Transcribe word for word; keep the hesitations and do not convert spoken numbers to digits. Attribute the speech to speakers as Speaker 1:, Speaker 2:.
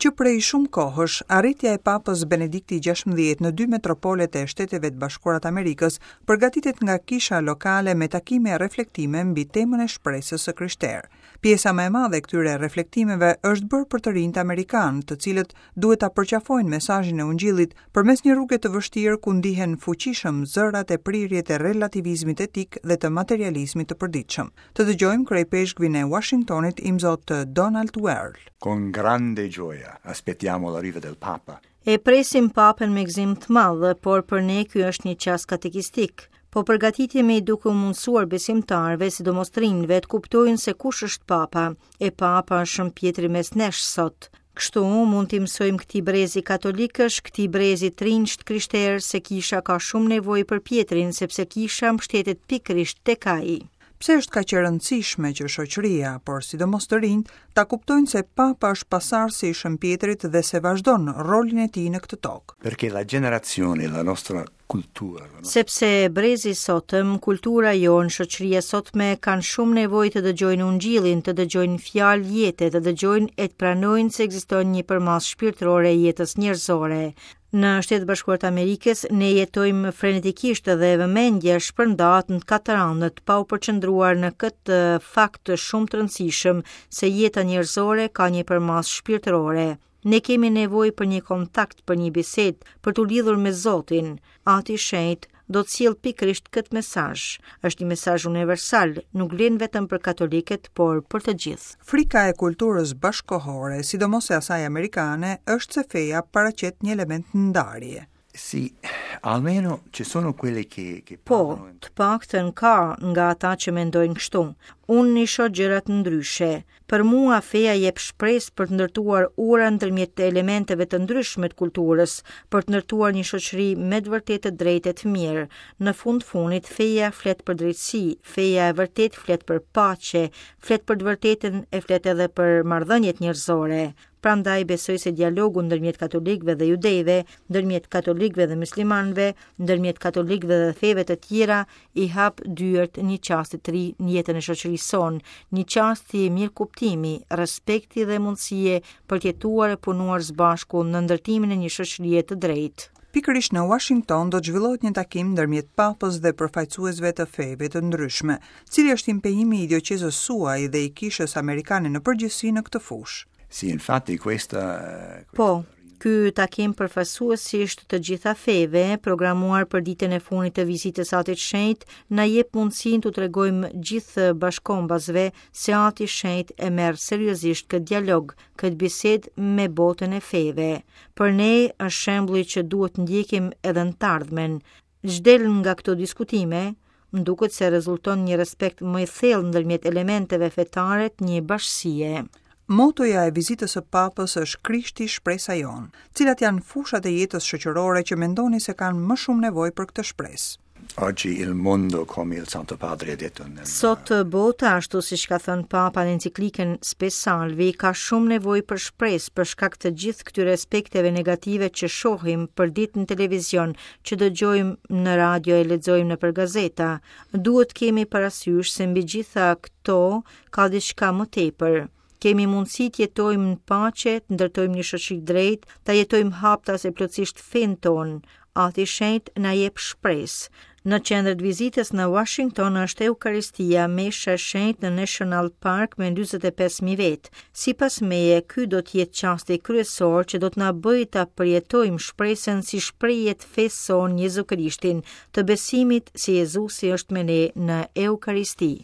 Speaker 1: Që prej shumë kohësh, arritja e Papës Benedikti gjashtëmbëdhjetë në dy metropolet e Shteteve të Bashkuara të Amerikës përgatitet nga kisha lokale me takime e reflektime mbi temën e shpresës së krishterë. Pjesa më e madhe e këtyre reflektimeve është bërë për të rinjtë amerikanë, të cilët duhet ta përqafojnë mesazhin e Ungjillit përmes një rruge të vështirë ku ndihen fuqishëm zërat e prirjet e relativizmit etik dhe të materializmit të përditshëm. Të dëgjojmë kryepeshkvin e Washingtonit, Imzot Donald Wuerl.
Speaker 2: Con grande gioia aspettiamo l'arrivo del Papa.
Speaker 3: E presim Papën me gëzim të madh, por për ne ky është një çast katekistik. Po përgatitemi duke u mundësuar besimtarëve, sidomos të rinjve, të kuptojnë se kush është Papa, e Papa është Shën Pjetri mes nesh sot. Kështu mund t'i mësojmë këtij brezi katolikësh, këtij brezi të rinjsh të krishterë se kisha ka shumë nevojë për Pjetrin, sepse kisha mbështetet pikërisht tek ai.
Speaker 1: Pse është kaq e rëndësishme që shoqëria, por sidomos të rinjt, ta kuptojnë se Papa është pasardhësi i Shën Pjetrit dhe se vazhdon rolin e tij në këtë tokë?
Speaker 2: Perché la generazione, la nostra cultura, la nostra
Speaker 3: Sepse brezi i sotëm, kultura jonë, shoqëria sotme kanë shumë nevojë të dëgjojnë Ungjillin, të dëgjojnë fjalë jete, të dëgjojnë e të pranojnë se ekziston një përmasë shpirtërore e jetës njerëzore. Në Shtetet Bashkuara të Amerikës ne jetojmë frenetikisht dhe vëmendja shpërndahet në katër anët, pa u përqendruar në këtë fakt shumë të rëndësishëm se jeta njerëzore ka një përmasë shpirtërore. Ne kemi nevojë për një kontakt, për një bisedë, për t'u lidhur me Zotin. Ati i Shenjt do të sjellë pikërisht këtë mesazh. Është një mesazh universal, nuk vlen vetëm për katolikët, por për të gjithë.
Speaker 1: Frika e kulturës bashkohore, sidomos e asaj amerikane, është se feja paraqet një element ndarje.
Speaker 2: Sì, almeno ci sono quelli che, che
Speaker 3: Po,
Speaker 2: parlano
Speaker 3: të paktën ka nga ata që mendojnë kështu. Unë i shoh gjërat ndryshe. Për mua feja jep shpresë për të ndërtuar ura ndërmjet elementeve të ndryshme të kulturës, për të ndërtuar një shoqëri me të vërtetë të drejtë e të mirë. Në fund fundit, feja flet për drejtësi, feja e vërtetë flet për paqe, flet për të vërtetën e flet edhe për marrëdhëniet njerëzore. Prandaj besoj se dialogu ndërmjet katolikëve dhe judejve, ndërmjet katolikëve dhe muslimanëve, ndërmjet katolikëve dhe feve të tjera i hap dyert një çasti të ri në jetën e shoqërisë sonë, një çasti mirëkuptimi, respekti dhe mundësie për të jetuar e punuar së bashku në ndërtimin e një shoqërie të drejtë.
Speaker 1: Pikërisht në Washington do të zhvillohet një takim ndërmjet Papës dhe përfaqësuesve të feve të ndryshme. Cili është impenjimi i dioqezës suaj dhe i kishës amerikane në përgjithësi në këtë fushë?
Speaker 2: Sì, infatti questa,
Speaker 3: Po, ky takim përfaqësuesisht të gjitha feve, programuar për ditën e fundit të vizitës Atit Shenjt, na jep mundësinë t'u tregojmë gjithë bashkombasve se Ati Shenjt e merr seriozisht këtë dialog, këtë bisedë me botën e feve. Për ne është shembulli që duhet ndjekim edhe në të ardhmen. Ç'del nga këto diskutime, më duket se rezulton një respekt më i thellë ndërmjet elementeve fetare të një bashkësie.
Speaker 1: Motoja e vizitës së Papës është Krishti shpresa jonë. Cilat janë fushat e jetës shoqërore që mendoni se kanë më shumë nevojë për këtë shpresë?
Speaker 2: Oggi il mondo, come il Santo Padre ha detto nel
Speaker 3: Sot bota, ashtu siç ka thënë Papa në enciklikën Spe Salvi, ka shumë nevojë për shpresë për shkak të gjithë këtyre aspekteve negative që shohim për ditë në televizion, që dëgjojmë në radio e lexojmë nëpër gazeta. Duhet kemi parasysh se mbi gjitha këto ka diçka më tepër. Kemi mundësi të jetojmë në paqe, të ndërtojmë një shoqëri drejtë, ta jetojmë haptas e plotësisht fenë tonë. Ati Shenjt na jep shpresë. Në qendër të vizitës në Washington është Eukaristia, mesha e shenjtë në National Park me dyzet e pesë mijë vetë. Sipas meje, ky do të jetë çasti kryesor që do të na bëjë ta përjetojmë shpresën si shprehje të fesë sonë Jezu Krishtin, të besimit se Jezusi është me ne në Eukaristi.